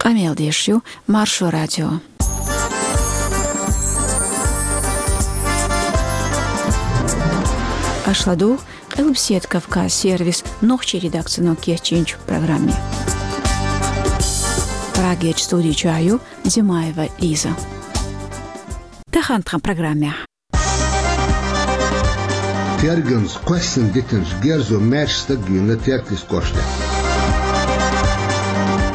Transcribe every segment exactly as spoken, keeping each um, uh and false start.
Къамел деш ю Маршо радио. Аша ладугӀу Къилбаседа Кавказ сервисан нохчийн редакцино кечйинчу программе. Прагерчу студи чохь ю Димаева Лиза. Тахана тхан программехь. Терганца кхоьссина дитинчу герзо маьрша стаг вийна Теркйистан кӀоштахь.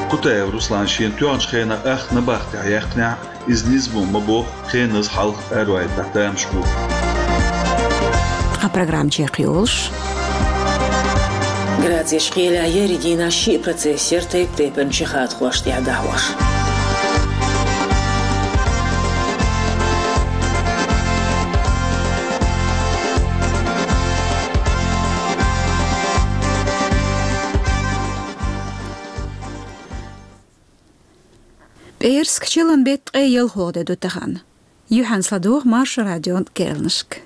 Кутаев Руслан шена тоьхначу хенахь ахча набахтехь яьккхинехь, иза низамо ма боху, хеназа хьалха араваийтахь тамаш бу. Тхан программа чекхйолуш. Грацехь кхелехь еарин дийнахь шиъ процесс яра тайп-тайпана чекхдаккхарш тӀехь дӀахьош. ПӀераска, чиллан беттан ткъе ялхалгӀа де ду тахана. Юьхьанца ладогӀа Маршо радион керланашка.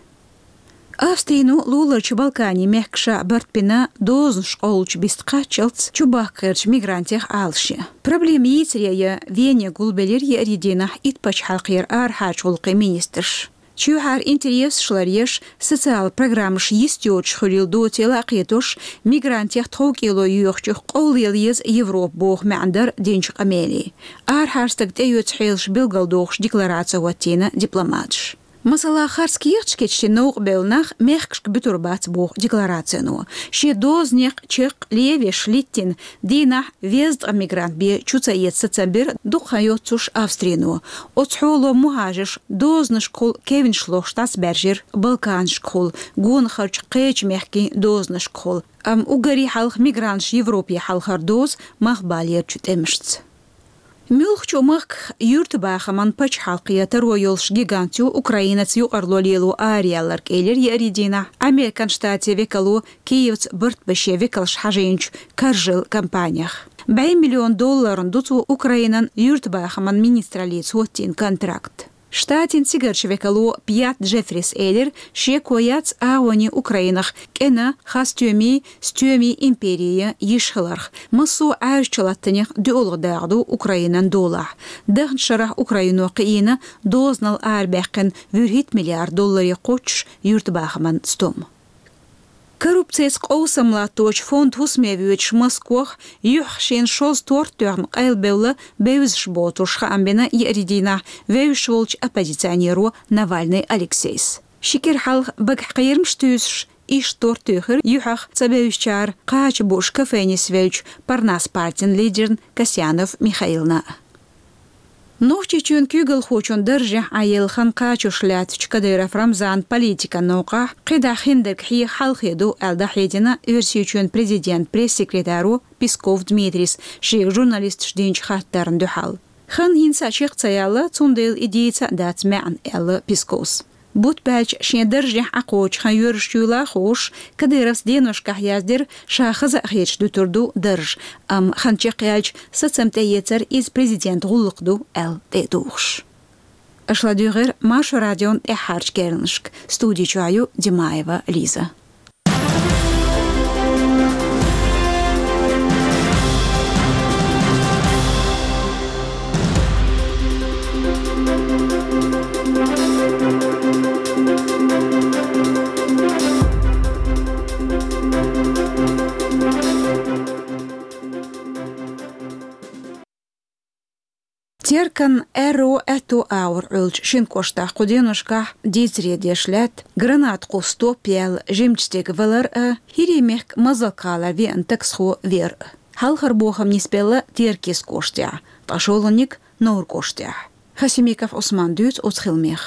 Австрино луларчу Балканийн мехкаша барт бина дозанаш къовлучу биста кхаччалц чубахка гӀертачу мигрантех Ӏалашъян. Проблема йийцаре Вене гулбелира еарин дийнахь итт пачхьалкхера арахьарчу гӀуллакхийн министраш. Чоьхьара интересаш ларъеш, социалан программаш йист йоцуш хуьлийла доцийла а кхетош, мигрантех тховкӀело йоьхучух къовлаелла еза Европа боху маьӀна дара динчу къамелин. Арахьара стаг тӀеоьцу хьелаш билгалдохуш деклараци хӀоттийна дипломаташа. Масала, харц кехаташ кечдина новкъа бевлла нах мехкашка буьтур бац боху декларацино. Шен дозанех чекх левеш литтина дийнахь везткъа мигрант бен чу ца эца сацам бира дукха хан йоццуш Австрино. Оцу хьоло мухӀажарш дозанашкахула кевнаш лохуш дӀасабаьржира Балканашкахула, гонахарчу кхечу мехкийн дозанашкахула. Амма уггаре хьалха мигранташ Европе хьалхара доза малхбалерчу тӀемашца. Муьлххачу махках юьртабахаман пачхьалкхе таро йолуш гигант ю Украинаца юкъарло лело араяьлларг, элира еарин дийнахь Американ Штатийн векало Киевца барт бан шен векалш хьажийначу Каржал компанех. БӀе миллион долларна ду цо Украинан юьртабахаман министраллица хӀоттийна контракт. Штатийн цигарчу векало Пят Джеффрис элира, шеко яц агӀонийн Украинах кӀена, хасстоьмийн, стоьмийн импери йиш хиларх. Массо а Ӏаьржачу латтанех доьалгӀа дакъа ду Украинан долахь. Дахначу шарахь Украино кхиийна дозанал арабаьккхина вуьрхӀитта миллиард долларе кхоччуш юьртабахаман стом. Коррупцица къовсам латточу фондан хӀусаме воьдуш Москвахь юьхьах шена шозза торт тоьхна къайлабевлла бевзаш боцурш хаам бина еарин дийнахь вевзаш волчу оппозиционеро Навальный Алексейс. Ши кӀира хьалха багахь кхерамаш туьйсуш, иштта торт туьйхира юьхьах ца бевзачара кхача бууш кафе нисвеллачу Парнас партин лидерна Касьянов Михаилна. Нохчийчоьнан куьйгалхочун даржехь Ӏаелла хан кхачош лаьттачу Кадыров Рамзанан политикан новкъахь кхидӀа хиндерг хьеха хьалхе ду аьлла дӀахьедина Оьрсийчоьнан президентан пресс-секретаро Песков Дмитрийс шега журналисташа динчу хаттарна дуьхьал. Хан хӀинца а чекх ца яьлла, цундела и дийца а дац маьӀна, аьлла Песковс. Бутт баьлча шен даржехь Ӏа кхочу хан йоьрзуш юйла а хууш, Кадыровс деношкахь яздира, ша хаза а хеташ дуьтур ду дарж, амма хан чекхъяьлча сацам тӀеэцар иза президентан гӀуллакх ду аьлла тӀе а тухуш. Аша ладуьйгӀира Маршо радион тӀаьххьарчу керланашка. Студи чохь ю Димаева Лиза. Теркан аьрру аьтту агӀор Ӏуьллучу шина кӀоштахь кху деношкахь дийцаре деш лаьтта гранат кхуссу топ яьлла жимачу стеган валар а, ХӀирийн мехкан Мазалк-гӀалара веана таксхо вер а. Хьалхара бохам нисбелла Теркйист кӀоштехь, ткъа шолгӀаниг Новр кӀоштехь. Хасимиков Ӏусман дуьйцу оцу хиламех.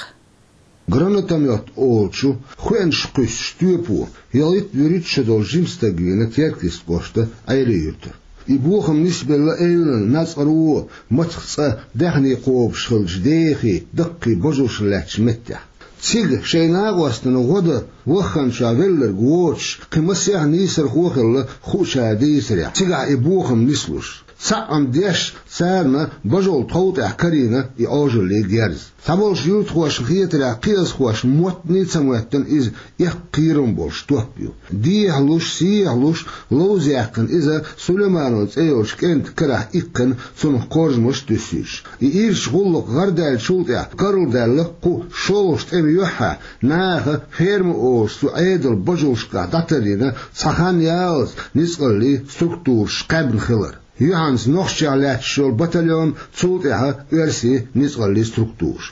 Гранатомёт олучу хоьанаш кхуьссучу тоьпо ялхитта-вуьрхӀитта шо долу жима стаг вийна Теркйист кӀоштан Ӏелин-Юьртара. И бохам нисбелла эвлан, нацкъаро, мацах цкъа даьхний кхобуш хиллачу дехий, даккхий божаршна лаьттачу меттехь. Цига шайн накъостана гӀо дан Вахханчохь велларг воцуш, кхин масех нийсархо а хилла, хуучара дийцарехь, цигахь и бохам нислуш. Цхьаъ-м деш, царна божал тхов тӀехь карийна и Ӏожаллин герз. Цхьаболчу юьртахошна хетарехь, кхиазхоша моттане а ца моьттина, иза эккха кхерам болуш топ ю. Дехьалуш, сехьалуш, ловза яьккхина иза Сулайманов цӀе йолчу кӀентан карахь иккхина, цунах корзамаш а туьссуьйтуш. И ирча гӀуллакх гӀардаьллачул тӀаьхьа карладаьлла кху шолгӀачу тӀеман юьххьехь, наха ферма олуш цу Ӏедалан божалшкахь дӀатарйина цхьа хан яллалц ницкъаллийн структураш кхаьбна хилар. Юьхьанца нохчех лаьтташ йолу батальон, цул тӀаьхьа оьрсийн ницкъаллийн структураш.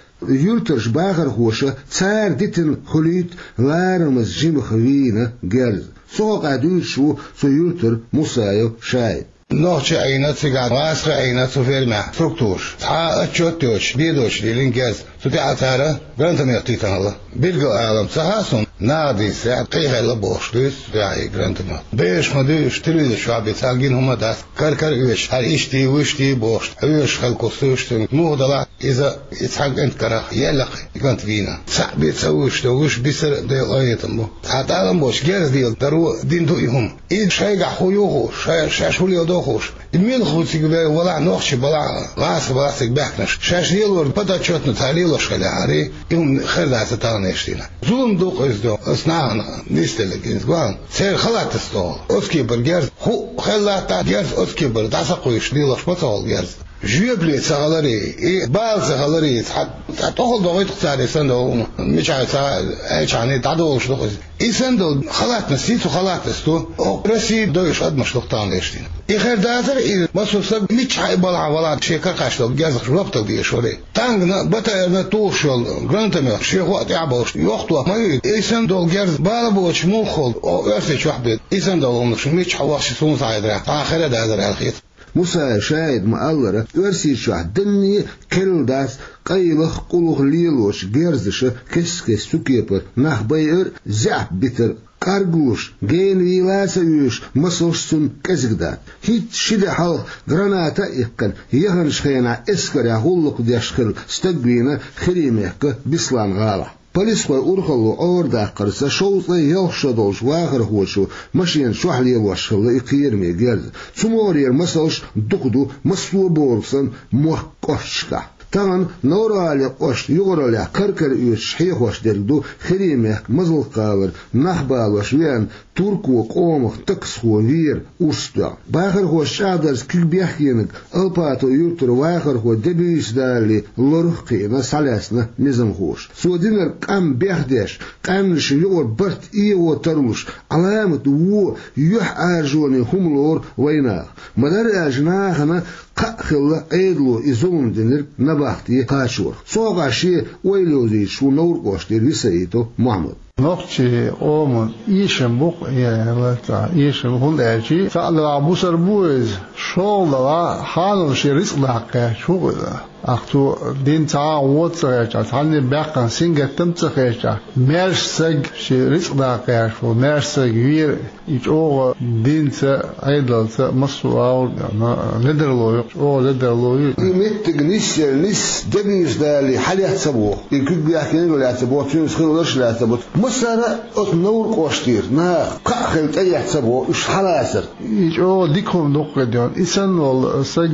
Юьртарчу бахархоша цара дитина хуьлуьйту ларамаза жимаха вийна герз. Цу хьокъехь дуьйцуш ву цу юьртара Мусаев ШаӀид. Нохчий Ӏийна цигахь, гӀазкхий Ӏийна цу фермехь структураш. Цхьа а отчет йоцуш, бен доцуш лелийна герз. Цу тӀехь цара гранатомет тийтина хилла. Билггал алам ца хаьа суна, наха дийцарехь, кхин хилла бохуш дуьйцу цу тӀехь и гранатомет. Бераш ма дуьйцуш, телевизор чохь бен цара гина хӀума дац. Кар-кара оьшуш, хьара иштта, вуьшта бохуш, оьшуш хилла куьйсуш цуьнга. Муха делахь, иза и цхьана кӀентан карах елла-кх, и кӀант вийна. Цхьаъ бен ца вуьйш, вуьш бисар а Делан къинхетам бу. Цхьа тӀалам боцуш герз леладаро дина ду и хӀума. Иза шайгахь хӀун ю хууш, шаьш, шаьш хӀун леладо хууш. И муьлха ву цига валахь, нохчий балахь, гӀазкхий балахь цига баьхкинарш. Шаьш лелор подотчетно цара лелош хилла хьара, и хӀума хир дац тахана иштта. Зулам ду-кх иза, аса нахана нисделларг иза, гуьйн. Церан халатца тохула. Оцу кепара герз хӀуъа хилла латтахь, герз оцу кепара дӀа ца кхуьйсуш лелош ма ца хуьлу герз. Жоьпалле ца хиларе, и бала ца хиларе, цхьа, цхьа тӀехула дохуьйту-кх цара и санна долу хӀума. Мичахь ца аьлчахьана дӀадолуш ду-кх иза. И санна долу халатца, сий цу халатца ду, оха Россия дойуш адамаш ду-кх тахана иштта. И хир дацара иза, массо а стаг миччахьа а балахь валахь шен кара кхаьчна долу герзах жоп дала дезаш вара. Танкана, БТР-на тухуш йолу гранатомет шен хӀоъ тӀехь а болуш, йохто ма ю, и санна долу герз бала боцуш муха хуьлу, оха Оьрсийчохь бен, и санна долу хӀуманаш миччахьа вахча суна схьахьедарехь, цхьа а хир а дацара аьлла хета. Мусаев ШаӀида ма-аллара, Оьрсийчохь данне а керла дац къайлаха, къулаха лелочу герзаша кест-кеста цу кепара нах байар а, заьӀап битар а. Къаргалуш, гена вийла а ца оьшуш, масалш цунна кӀезиг дац. ХӀинцца ши де хьалха граната а иккхина, яханчу хенахь эскарехь гӀуллакх деш хилла стаг вийна Хирий-мехкан Беслан-гӀалахь. Полисхойн урхалло Ӏорадаккхарца шовзткъе ялх шо долчу вахархочо машена чохь лелош хилла и кхераме герз. Цу могӀарера масалш дукха ду массо а бохург санна мохк кӀошташкахь. Тахана Новр-ГӀалин кӀоштан юкъараллехь кар-кара оьцуш хьехош дерг ду Хирий-мехкан Мазалк-гӀалара нах балош веана туркойн къомах таксхо Вера урс доьгӀна. Бахархоша чӀагӀдарца куьг бехкенарг Алпатово-юьртара вахархо Дебуьйса Дали лорах а кхиъна схьалаьцна низамхоша. Цо динарг къам бехдеш, къаьмнашна юкъара барт эгӀо тарлуш, Ӏаламат вон юьхьӀаьржонийн хӀума лору вайнаха. Ма-дарра аьлча, нахана кхаъ хилла Ӏедало и зулам динарг набахте кхачорах. Цу хьокъехь шен ойла йовзуьйтуш ву Новр-кӀоштара Висаитов Мохьмад. Нохчийн къоман эшам бу-кх, э, эшам, хӀунда аьлча цхьаъ делахь бусалба ву иза, шолгӀа делахь хьанал шен рицкъ даккха гӀерташ ву-кх иза. Ахь цо дина цхьа а гӀо ца хезча, цхьанне а баьккхина сингаттам ца хезча, маьрша стаг шен рицкъ даккха гӀерташ ву, маьрша стаг вера, и чӀогӀа динца, Ӏедалца, массо а агӀор ледарло ю, чӀогӀа ледарло ю. И меттиг нисъелла нисса Дебуьйса Дали хьалаьцна ца боху, и куьг бехкенарг а лаьцна ца боху, цуьнца хилларш а лаьцна ца боху. Массара а оцу Новр-кӀоштара наха кхаъ хилла тӀеэцна ца боху уьш хьалацар. И чӀогӀа дика хӀума ду-кх и ден. И санна волу саг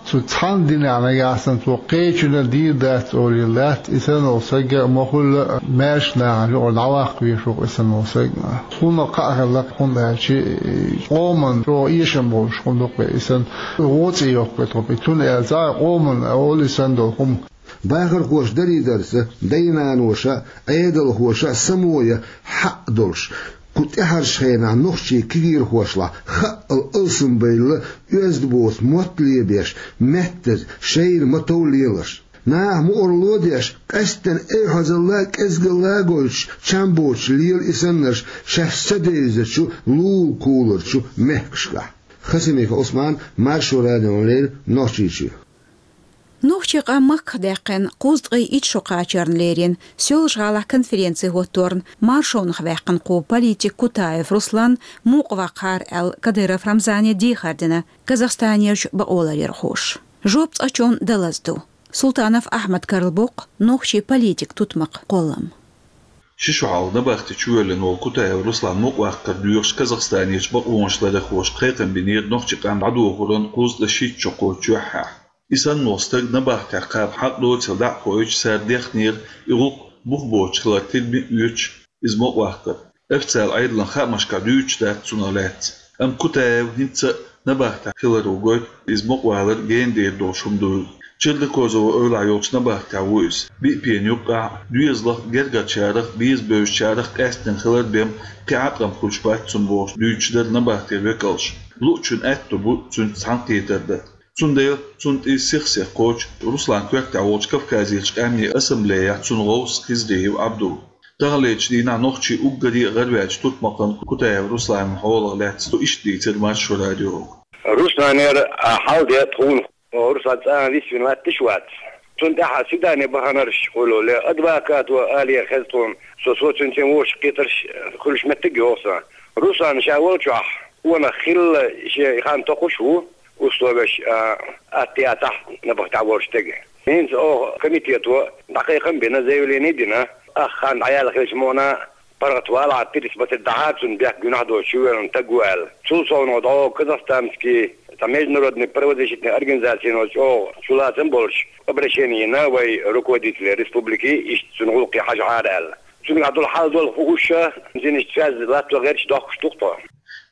цу цхьана динехь нагахь санна цо кхечунна дийр дац олийла дац, и санна волу саг ма-хуьллу маьрша нахана юкъара дӀаваккха везаш ву-кх и санна волу саг. Цунах кхаъ хилла-кх, хӀунда аьлча и къоман чӀогӀа эшам болуш хӀума ду-кх и санна. ГӀо цӀе йоккху тхо, и цунна аьлла цхьа а къоман олу и санна долу хӀума. Бахархоша дарийдарца, дай-наноша а, Ӏедалхоша а само ян хьакъ долуш, кху тӀаьхьарчу хенахь нохчийн кегийрхошлахь хаъал алсамбайла оьзда боцу мотт лебеш, меттаза шайна ма-тов леларш. Наха мукъарло а деш, къаьсттина эвхьазалла а, кӀезигалла а гойтуш, чам боцуш лела и саннарш шаьш ца девзачу лулахь кхулларчу мехкашкахь. Хасимиков Ӏусман, Маршо радиона леррина, Нохчийчоь. Нохчийн къам махках даьккхина кхузткъе итт шо кхачарна лерина, Соьлжа-ГӀалахь конференци хӀотторна маршонах ваьккхина кху политик Кутаев Руслан мукъаваккхара аьлла, Кадыров Рамзане дехар дина Казахстанерчу бакъоларъярхоша. Жоп цкъачунна далаза ду. Султанов Ахьмада карладоккху нохчийн политикан тутмакх кхоллам. Ши шу хьалха набахти чувоьллина волу Кутаев Руслан мукъаваккхар доьхуш Казахстанерчу бакъонаш ларъярхоша кхайкхам бинера нохчийн къам дӀадохоран кхузткъе шийтта шо кхочу юьххьехь. И санна волу стаг набахтехь кхаба хьакъ доцийла дӀа а кхоьхьуьйтуш, цара дехнера и гӀуллакх бух боцуш хилар тидаме а оьцуш, иза мукъаваккхар. Официалан Ӏедалан хаамашкахь дуьйцуш дац цунах лаьцна. Амма Кутаев хӀинца а набахтехь хиларо гойту иза мукъавалар гена дер долуш хӀума дуйла. Чернокозово эвлахь йолчу набахтехь ву иза. Биъ пена юккъехь доьзалх, гергарчарах, беза бевзачарах къаьсттина хилар бен кхин Ӏаткъам хуьлуш бац цунна бохуш дуьйцуш дара набахтера векалша. Луучун аьтто бу цуьнца цхьаьнакхетар дан. Цундела цунна тӀе сих-сиха кхочу Русланан коьртехь волчу Кавказерчу къаьмнийн ассамблеяхь цуьнан гӀовс Хизриев Ӏабдул. Таханлерчу дийнахь нохчийн уггаре а гӀарваьллачу турпалхана Кутаев Русланан хьолах лаьцна цо иштта дийцира Маршо радиога. Русланера а хьал де тхуна, Руслан цӀа а висвина латташ а вац. Цунна тӀехь а свидание баханарш хуьлу, ле, адвокато алера хеза тхуна, со, со цуьнца вовшах кхетарш хуьлуш меттиг йоху сан. Руслан ша волчохь, къонах хилла шен хан токхуш а ву, условеш а, атта яцахь набахтехь волчу стеган. ХӀинца оха комитето дӀакхайкхам а бина, заявление а дина, ах хан дӀаяьлла хилча мукъана паргӀатвалахь, пересмотреть дахьа цунна, бехк гуьнахь доцуш чувоьллина стаг ву аьлла. Цул совнаха дӀо казахстанский, цхьа международный правозащитный организацино чӀогӀа чулацам болуш обращение йина вай руководителе республики, иштта цуьнан гӀуллакхе хьажахьара аьлла. Цуьнгахь долу хьал долу хууш а, цуьнан иштта связь латто гӀерташ дохкуш ду-кх тхо.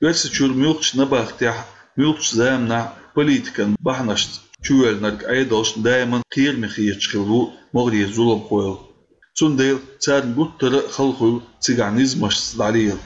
Оьрсийчуьра муьлххачу набахтехь, муьлххачу заманахь политикан бахьанашца чувоьллинарг Ӏедалшна даиман кхераме хеташ хилла ву могӀарера зуламхой. Цундела царна гуттар а хала хуьлу цигахь низамашца дӀалела.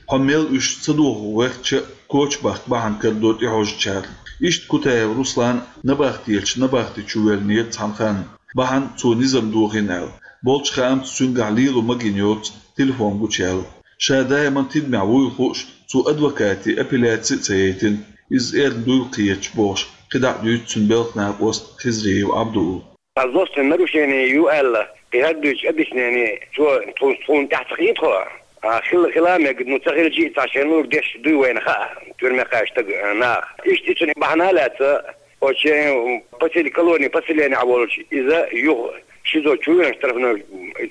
Хьо мел уьш ца дохо вехча а, коча бахка бахьана карадо тӀехьожучара. Иштта Кутаев Руслан набахтечу набахти чувоьллинера цхьана ханна, бахьана цо низам дохийна аьлла. Болчу хаамца цуьнгахь лело магийна йоцу телефон гучуяьлла. Ша даиман тидамехь вуйла хууш, цо адвокате апелляци а ца яйтина, иза эрна дуйла кхеташ бохуш, кхидӀа а дуьйцу цуьнан белхан накъост Хизриев Ӏабдул. Цхьа злостный нарушение ю аьлла, кхин хӀара дуьйцу объяснение цо тхуна, тхуна тӀаьхьа ца хийтахо. А, хилла хила а мега, ну, ца хилча а цхьа шен лур деш дуй вайна хаа, тюрьме кхаьчна стаг, а, наха. Иштта и цуьнан бахьана а лаьцна, оцу шен посел-, колони поселенехь волчу иза юха ШИЗО чу веана штрафной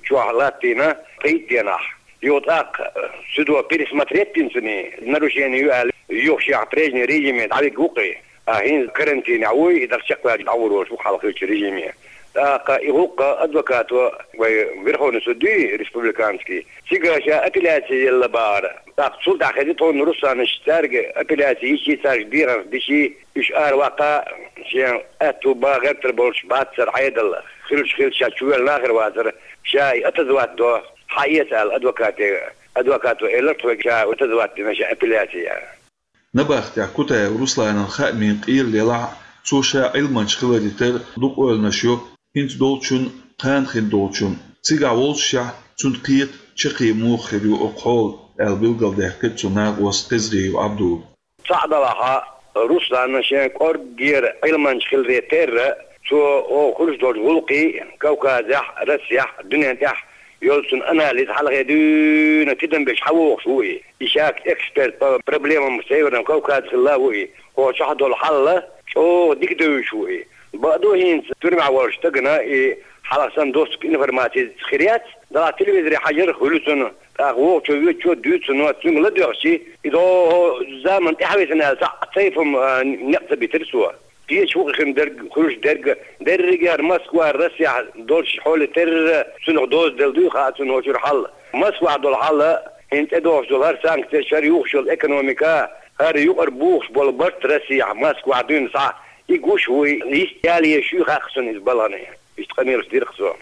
чохь латтийна, пхийтта денахь. Юха тӀаккха, э, судо пересмотреть дина цуьнан, нарушение ю аьлла, юха шех прежний режиме дӀавигна ву-кх и. А хӀинца карантинехь вуй, и дӀа чекхваьлча дӀагӀур волуш ву-кх хьалха хиллачу режиме. ТӀаккха и гӀуллакх адвокато, вай Верховный суд дуй, республиканский, цигара ша апелляци елла бахара. ТӀаккха цул тӀаьхьа хезира тхуна Русланаш, цаьрга апелляци йичи, цаьрга дехарш дичи, уьш ара ваккха, шен аьтту бан гӀертар болуш бацара Ӏедал, хиллачу хилча ша чувоьллина а хир вацара, ша и отозвать до, хьаэца аьлла адвокате, адвокато элира тхоьга ша отозвать дина шен апелляци. Набахтехь Кутаев Русланан хаамийн къелла елахь а, цо ша Ӏилманча хиларе терра дукха ойланаш йо, хӀинца долчун, кхана хин долчун. Цигахь воллушехь, цунна кхета, чаккхе муха хир ю оцу хьолан, аьлла билгалдаьккхира цуьнан накъост Хизриев Ӏабдула. Цхьаъ делахь а, Русланна шен кӀорггера Ӏилманча хиларе терра, цо оха хуьлуш долчу гӀуллакхий, Кавказехь, Россехь, дуьнен тӀехь йолу цуьнан анализ хьалхе дуьйна тидам беш хьавогӀуш ву и. И шаьш эксперт по проблемам Северного Кавказа хилла а ву и. Кху чохь долу хьал чӀогӀа дика девзаш ву и. Бакъду, хӀинца тюрьмехь волчу стагана и хьалха санна доступ информации хир яц, делахь телевизоре хьажар а хуьлу цунна. ТӀаккха вогӀучо, воьдучо дуьйцу цунна, цуьнга ладоьгӀчи, и догӀу заман тӀаьхьависина аьлла, цхьаъ цайпам, а, некъ ца битира цо. Кхечу хӀокху хин дерг, хуьлуш дерг, дерриге а Москва, Россехь долчу хьоле терра цунах доза делла дуй хаьа цунна оцу чуьра хьал. Москвахь долу хьал, хӀинца тӀедогӀуш долу хӀара санкцеш, хӀара юхуш йолу экономика, хӀара юкъара бухуш болу барт Россехь, Москвахь дуьйна схьа, и гуш вуй, йист яла еш юй хаьа цунна иза балхана. Иштта къамелаш дира-кх цо.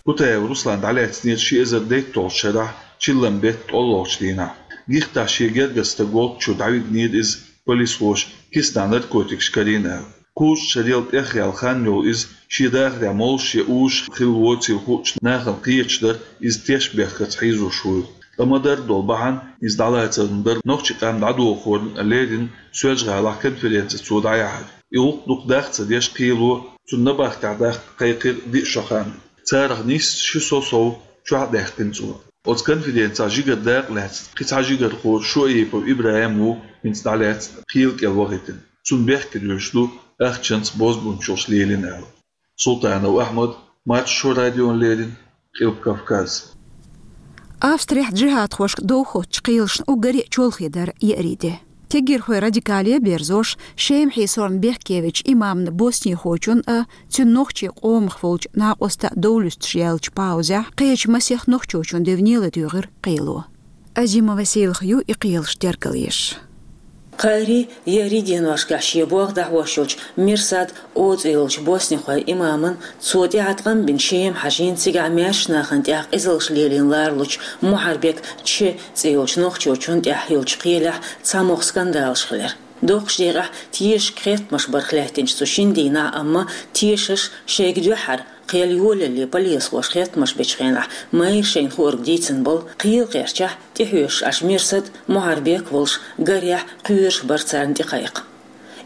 Кутаев Руслан дӀалаьцнера ши эзар дейтталгӀачу шарахь, чиллан беттан ткъолгӀачу дийнахь. Гихтахь шен гергара стаг волччо дӀавигнера иза полисхоша, киснахь наркотикаш карийна аьлла. Кхузткъа шарел тӀехъяьлла хан йолу иза шен дахарехь молуш я уьш хилла воцийла хуучу нахана кхеташ дара, иза теш бехкарца хьийзош вуйла. Ткъа ма-дарра долу бахьана иза дӀалацарна дара нохчийн къам дӀадохорна леррина Соьлжа-ГӀалахь конференци цо дӀаяхьар. И гӀуллакх дукха дах ца деш кхело, цунна набахтехь даккха кхайкхира диъ шо хан. Царах нийсса ши со сов чохь а даьккхина цо. Оцу конференцехь жигара дакъа лаьцна кхин цхьа жигархо Шоэйпов ИбрахӀим ву хӀинца дӀалаьцна кхел кӀел вахийтина. Цунна бехке дуьйцуш ду ахчанца бозбуунчаллаш лелийна аьлла. Султанов Ахьмад, Маршо радиона леррина, Къилба Кавказ. Австрехь джихӀадхошка дов хоттачу кхелашна уггаре а чолхе дара еарин де. Кегирхойн радикале а берзош, Шема хьийсорна бехке вечу имамна боснихочун а, цуьнан нохчийн къомах волчу накъоста а дов луьстуш яьллачу паузехь кхечу масех нохчочун девне ладуьйгӀира кхело. Азима Василах ю и кхелаш тергалъеш. Кхаарий, еарин деношкахь шен болх дӀахьош йолчу Мирсад О цӀе йолчу боснихойн имаман, цо тӀаьхьа ткъам бина Шема хьажийна, цигахь маьршачу нахана тӀехь къизаллаш лелийна ларалучу Мухьарбек Ч цӀе йолчу нохчочун тӀехь йолчу кхелехь цхьамогӀа скандалаш хилира. Доккхачу декъехь тешашка хеттамаш барх лаьттинчу цу шина дийнахь, амма тешаш шайга дуьххьара, кхел йолалле полисхоша хеттамаш бечу хенахь майра шайна хуург дийцина болу, кхел кхерчахь тӀехьоьжуш Ӏаш Мирсад а, Мухьарбек а волуш, гарехь кхоьруш бара царна тӀекхайкха.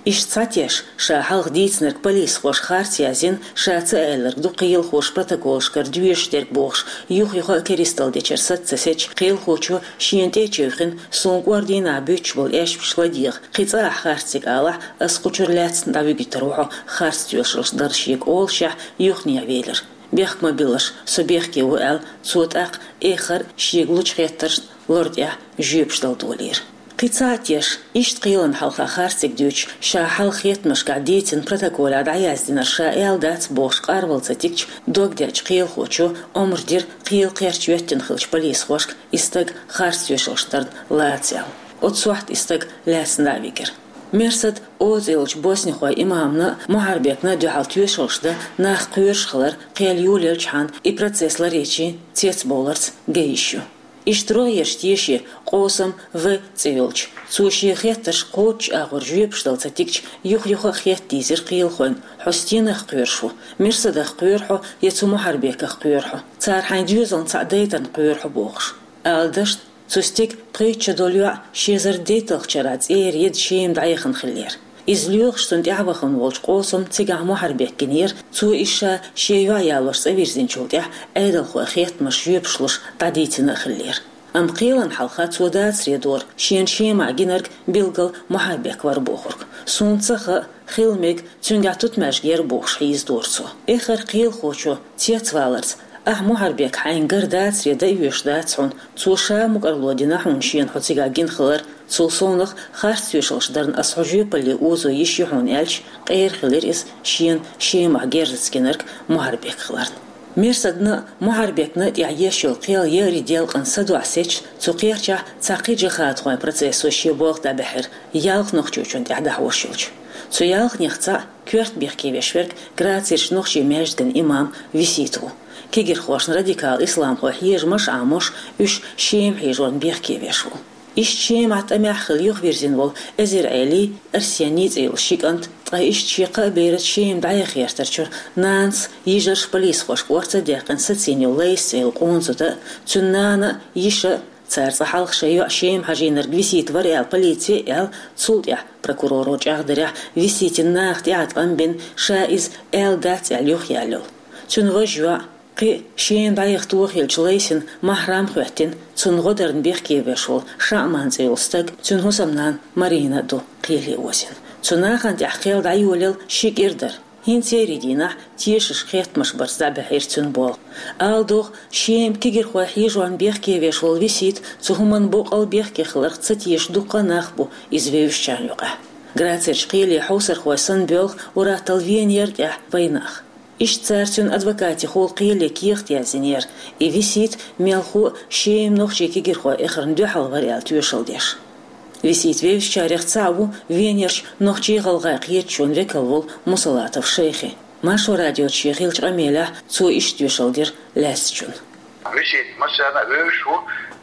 Иштта цхьа теш, ша хьалха дийцинарг полисхоша харц яздина, ша ца аьлларг ду кхелахоша протоколашкара доьшуш дерг бохуш, юх-юха а керистал дечара саца ца сецча, кхелахочо шена тӀе а чевхина, суна кӀордийнахь буьттуш болу аьшпаш ладегӀа, кхин цкъа ахь харц дерг алахь, ас кху чуьра лаьцна дӀавигийтар ву хьо харц тоьшаллаш дар шега олушехь, юханехьа велира. Бехк ма биллалаш, со бехке ву аьлла, цо тӀаккха эххар а шега лучу хеттаршна лор тӀехь жоьпаш дала долийра. Кхин цхьа а теш, иштта кхелана хьалха харцдерг дуьйцуш, ша хьалха хеттамашкахь дийцина протоколехь дӀаяздинарг ша аьлла дац бохуш къарвала ца тигча, дог деачу кхелахочо омра дира кхел кхерча йоьттина хиллачу полисхошка и стаг харц тоьшаллаш дарна лаца аьлла. Оцу сохьта и стаг лаьцна дӀа а вигира. Мирсад О цӀе йолчу боснихойн имамна а, Мухьарбекна а дуьхьал тоьшаллаш дан нах кхоьруш хилар кхел йолаелчахьана и процесс ларъечийн цецбовларца ган йиш ю. Иштта рогӀерчу теше Къосам В цӀе йолчу, цо шен хеттарш кхоччуш агӀор жоьпаш дала ца тигча, юха-юха а хетта дийзира кхелахойн: «Хьо стенах кхоьруш ву? Мирсадах кхоьру хьо я цу Мухьарбеках кхоьру хьо? Цара хьайн доьзална цхьаъ дайтарна кхоьру хьо», — бохуш. Ала дашна, цу стеган пхийтта шо долу йоӀ ши эзар дейтталгӀачу шарахь цӀера еда Шема дӀаяхана хиллера. Иза лоьхуш цунна тӀаьхьа вахана волчу Къосамна цигахь Мухьарбек гинера, цо иза ша шен йоӀ ялош цӀа вирзинчул тӀаьхьа Ӏедалхойн хеттамаш жоьпаш луш дӀадийцина а хиллера. Амма кхелана хьалха цо дацаре дора шена Шемахь гинарг билггал Мухьарбек вара бохург. Суна ца хаьа, хила мега, цуьнгахь тутмаьжга яра бохуш хьийзадора цо. Эххар кхелахочо цецваларца: «Ахь Мухьарбек хьайна гар дацаре дан а оьшуш дац хьуна, цо ша мукӀарло дина хьуна шена хьо цигахь гина хилар, цул совнаха харц тоьшаллаш дарна ас хьо жоьпалле озо йиш ю хьуна», — аьлча, къера хилира иза шена Шемахь герзаца гинарг Мухьарбек хиларна. Мирсадна а, Мухьарбекна а тӀехь еш йолу кхел еарин делкъана садоӀа сецча, цу кхерчахь цхьа кхин джихӀадхойн процессо шен болх дӀабаьхьира, ялх нохчочун тӀехь дӀахьош йолчу. Цу ялханех цхьаъ коьрта бехке веш верг Грацерчу нохчийн маьждиган имам Висита ву. Кегирхошна радикал исламхой хьежамаш а Ӏамош, уьш Шема хьийжорна бехке веш ву. Иштта Шемахь тӀамехь хилла юхавирзина волу Эзир-Ӏелий, Арсений цӀе йолу ши кӀант, ткъа иштта шен кхаа бераца Шема дӀаяха гӀертарчуьра нанас, йижарша полисхошка орца а даьккхина сацийна йолу Лайса цӀе йолу къона зуда а, цуьнан нана а, йиша а, цара цкъа хьалха шайн йоӀ Шема хьажийнарг Висита вара аьлла полици а аьлла, цул тӀаьхьа прокуроро чӀагӀдарехь, Виситина наха тӀаьхьа ткъам бина, ша иза аьлла дац аьлла юхаяьлла йолу. Цуьнан важа йоӀ, кхин а Шема дӀаяха тоха хиллачу Лайсин маьхьрам а хӀоьттина, цунна гӀо дарна бехке веш волу Шаъман цӀе йолу стаг, цуьнан хӀусамнана Марина а ду кхеле озийна. Цу нахана тӀехь кхел дӀайолаелла ши кӀира дара. ХӀинца еарин дийнахь тешашка хеттамаш барца дӀабаьхьира цуьнан болх. Ала догӀу, Шема кегирхой хьежорна бехке веш волу Висита цу хӀуманна боккъал бехке хиларх ца теша дуккха а нах бу иза вевзачарна юкъахь. Грацерчу кхеле хьовсархой санна боьлху уьттазза Венера тӀехь вайнах. Иштта цара цуьнан адвокатехула кхеле кехат яздинера, и Висита мелхо а Шема нохчийн кегирхой эхарна дуьхьал вара аьлла тоьшалла деш. Висита вевзачарех цхьаъ ву Венерчу нохчийн-гӀалгӀайн кхеташонан векал волу Мусалатов Шайхи. Маршо радиоца шен хиллачу къамелехь цо иштта тоьшалла дира лаьцначунна. Висита массарна а вевзаш ву,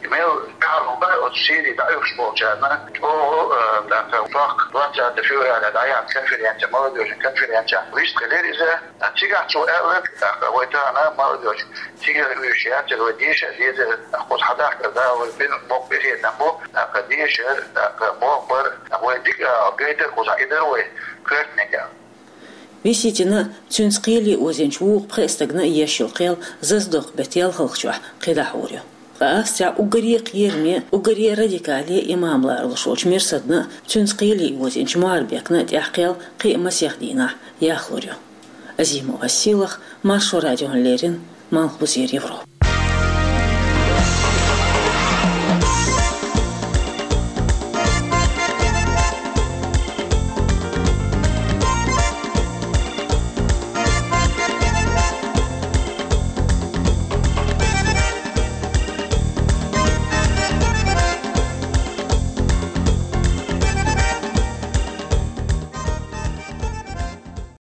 мел тӀаьхьа бара оцу Сири дӀаоьхуш болчарна, чӀогӀа, э, тӀаккха сохка двадцатого февраля дӀаяьхьна конференция, молодёжный конференция, вистхилира иза. Цигахь цо аьлларг, тӀаккха вай тахана молодёжь, цига уьш яцара вай деша а дезара, тӀаккха кхуза хьадахкар да вай бина боккха къинхетам бу, тӀаккха дешар, тӀаккха бохбар, тӀаккха вай дика а гайтар кхузахь, и дара вай коьртаниг аьлла. Виситина а, цуьнца кхеле озийначу вукху пхеа стагана а еш йолу кхел зазадоккху беттан ялхалгӀачохь кхин дӀахьур ю. Ткъа Австрехь уггаре а кхераме, уггаре а радикале имам ларалуш волчу Мирсадна а, цуьнца кхеле озийначу Мухьарбекна а тӀехь кхел кхин а масех дийнахь яхлур ю. Азимова Силах, Маршо радиона леррина, Малхбузера Европа.